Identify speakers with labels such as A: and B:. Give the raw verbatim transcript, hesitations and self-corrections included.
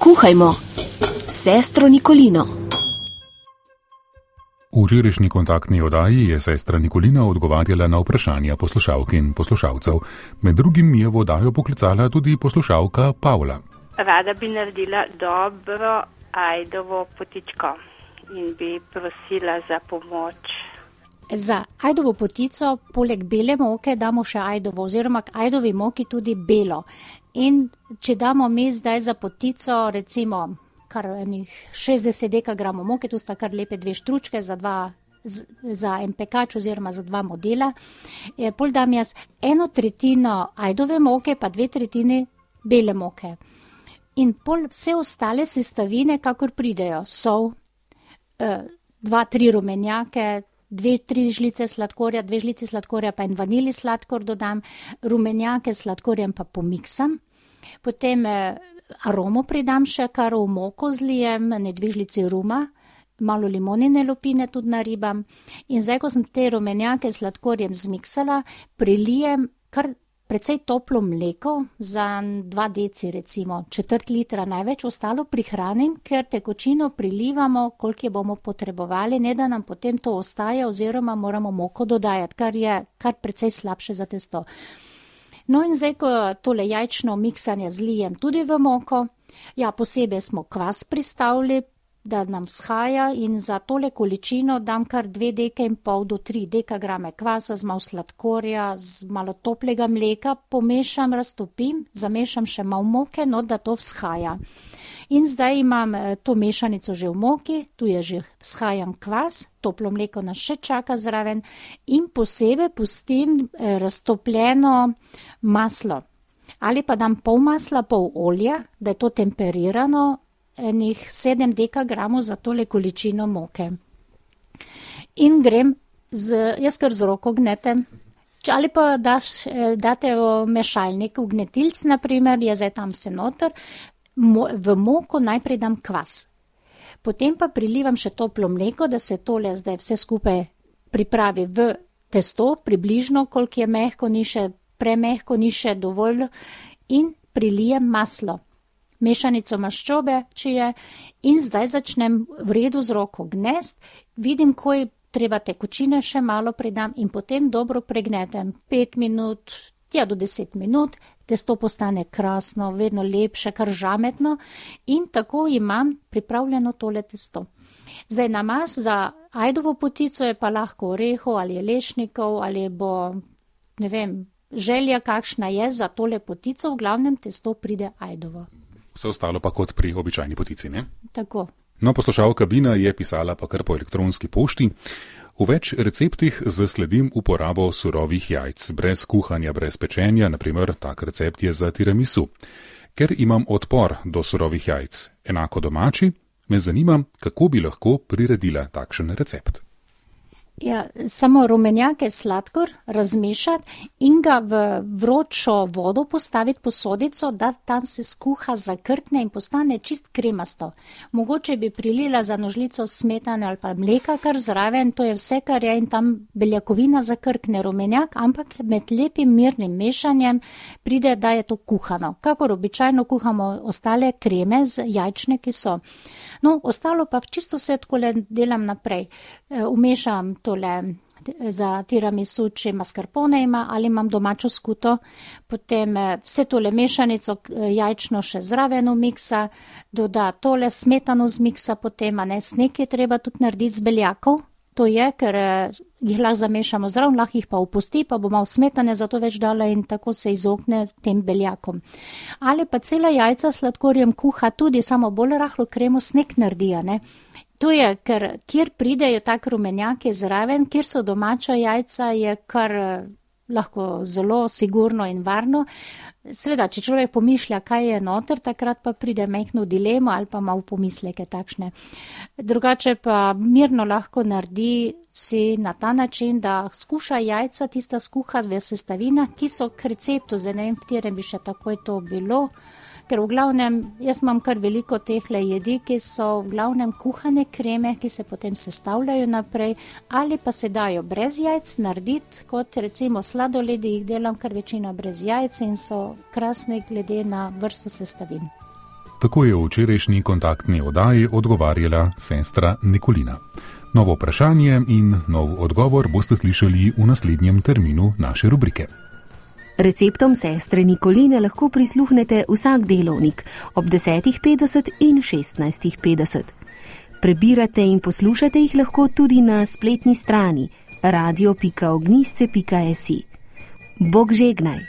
A: Kuhajmo s sestro Nikolino.
B: V včerajšnji kontaktni oddaji je sestra Nikolina odgovarjala na vprašanja poslušalk in poslušalcev. Med drugim je v oddajo poklicala tudi poslušalka Pavla.
C: Rada bi naredila dobro ajdovo potičko in bi prosila za pomoč.
D: Za ajdovo potico poleg bele moke damo še ajdovo oziroma k ajdovi moki tudi belo. In če damo mi zdaj za potico recimo kar enih šestdeset dekagramov moke, tu sta kar lepe dve štručke za, dva, za en pekač oziroma za dva modela, e, pol dam jaz eno tretjino ajdove moke pa dve tretjini bele moke. In pol vse ostale sestavine, kakor pridejo, sol, e, dva, tri rumenjake, dve, tri žlice sladkorja, dve žlice sladkorja pa en vanili sladkor dodam, rumenjake s sladkorjem pa pomiksam, potem e, aromo pridam še, kar v moko zlijem, ne dve žlici ruma, malo limonine lupine tudi naribam in zdaj, ko sem te rumenjake s sladkorjem zmiksala, prilijem kar precej toplo mleko za dva deci recimo, četrt litra največ, ostalo prihranim, ker tekočino prilivamo, koliko je bomo potrebovali, ne da nam potem to ostaja oziroma moramo moko dodajati, kar je kar precej slabše za testo. No in zdaj, ko tole jajčno miksanje zlijem tudi v moko, ja, posebej smo kvas pristavili, da nam vzhaja in za tole količino dam kar dve deke in pol do tri dekagrame kvasa z malo sladkorja, z malo toplega mleka, pomešam, raztopim, zamešam še malo moke, no da to vzhaja. In zdaj imam to mešanico že v moki, tu je že vzhajan kvas, toplo mleko nas še čaka zraven in posebej pustim raztopljeno maslo. Ali pa dam pol masla, pol olja, da je to temperirano, enih sedem dekagramov za tole količino moke. In grem, z, jaz kar z roko gnetem, ali pa daš, date v mešalnik, v gnetilc naprimer, je zdaj tam se noter, v moko najprej dam kvas. Potem pa prilivam še toplo mleko, da se tole zdaj vse skupaj pripravi v testo, približno, koliko je mehko, ni še premehko, ni še dovolj in prilijem maslo. Mešanico maščobe, če je, in zdaj začnem v redu z roko gnest, vidim, ko je treba tekočine še malo pridam in potem dobro pregnetem pet minut, ja do deset minut, testo postane krasno, vedno lepše, kar žametno in tako imam pripravljeno tole testo. Zdaj namaz za ajdovo potico je pa lahko orehov ali lešnikov ali bo, ne vem, želja kakšna je za tole potico, v glavnem testo pride ajdovo.
B: Vse ostalo pa kot pri običajni potici, ne?
D: Tako.
B: No, poslušalka Bina je pisala pa kar po elektronski pošti. V več receptih zasledim uporabo surovih jajc, brez kuhanja, brez pečenja, naprimer tak recept je za tiramisu. Ker imam odpor do surovih jajc, enako domači, me zanima, kako bi lahko priredila takšen recept.
D: Ja, samo rumenjake sladkor razmešati in ga v vročo vodo postaviti posodico, da tam se skuha, zakrkne in postane čist kremasto. Mogoče bi prilila za nožlico smetane ali pa mleka kar zraven, to je vse, kar je in tam beljakovina zakrkne rumenjak, ampak med lepim mirnim mešanjem pride, da je to kuhano. Kakor običajno kuhamo ostale kreme z jajčne, ki so. No, ostalo pa čisto vse takole delam naprej. Umešam tole za tiramisu, če mascarpone ima ali imam domačo skuto, potem vse tole mešanico jajčno še zraven miksa, doda tole smetano z miksa, potem a ne sneg je treba tudi narediti z beljakov. To je, ker jih lahko zamešamo zraven, lahko jih pa opusti, pa bo malo smetane zato več dala in tako se izogne tem beljakom. Ali pa cela jajca sladkorjem kuha tudi samo bolj rahlo kremo sneg naredi, ne? To je, ker kjer pridejo tak rumenjaki zraven, kjer so domača jajca, je kar lahko zelo sigurno in varno. Sveda, če človek pomišlja, kaj je noter, takrat pa pride mehno dilemo ali pa malo pomisleke takšne. Drugače pa mirno lahko naredi si na ta način, da skuša jajca tista skuhati v sestavinah, ki so k receptu, zdaj ne vem, katerem bi še takoj to bilo, ker v glavnem, jaz imam kar veliko tehle jedi, ki so v glavnem kuhane kreme, ki se potem sestavljajo naprej, ali pa se dajo brez jajc narediti, kot recimo sladoledi, jih delam kar večino brez jajc in so krasne glede na vrsto sestavin.
B: Tako je v včerajšnji kontaktni oddaji odgovarjala sestra Nikolina. Novo vprašanje in nov odgovor boste slišali v naslednjem terminu naše rubrike.
A: Receptom sestre Nikoline lahko prisluhnete vsak delovnik ob desetih petdeset in šestnajstih petdeset. Prebirate in poslušate jih lahko tudi na spletni strani radio pika ognjišče pika si. Bog žegnaj!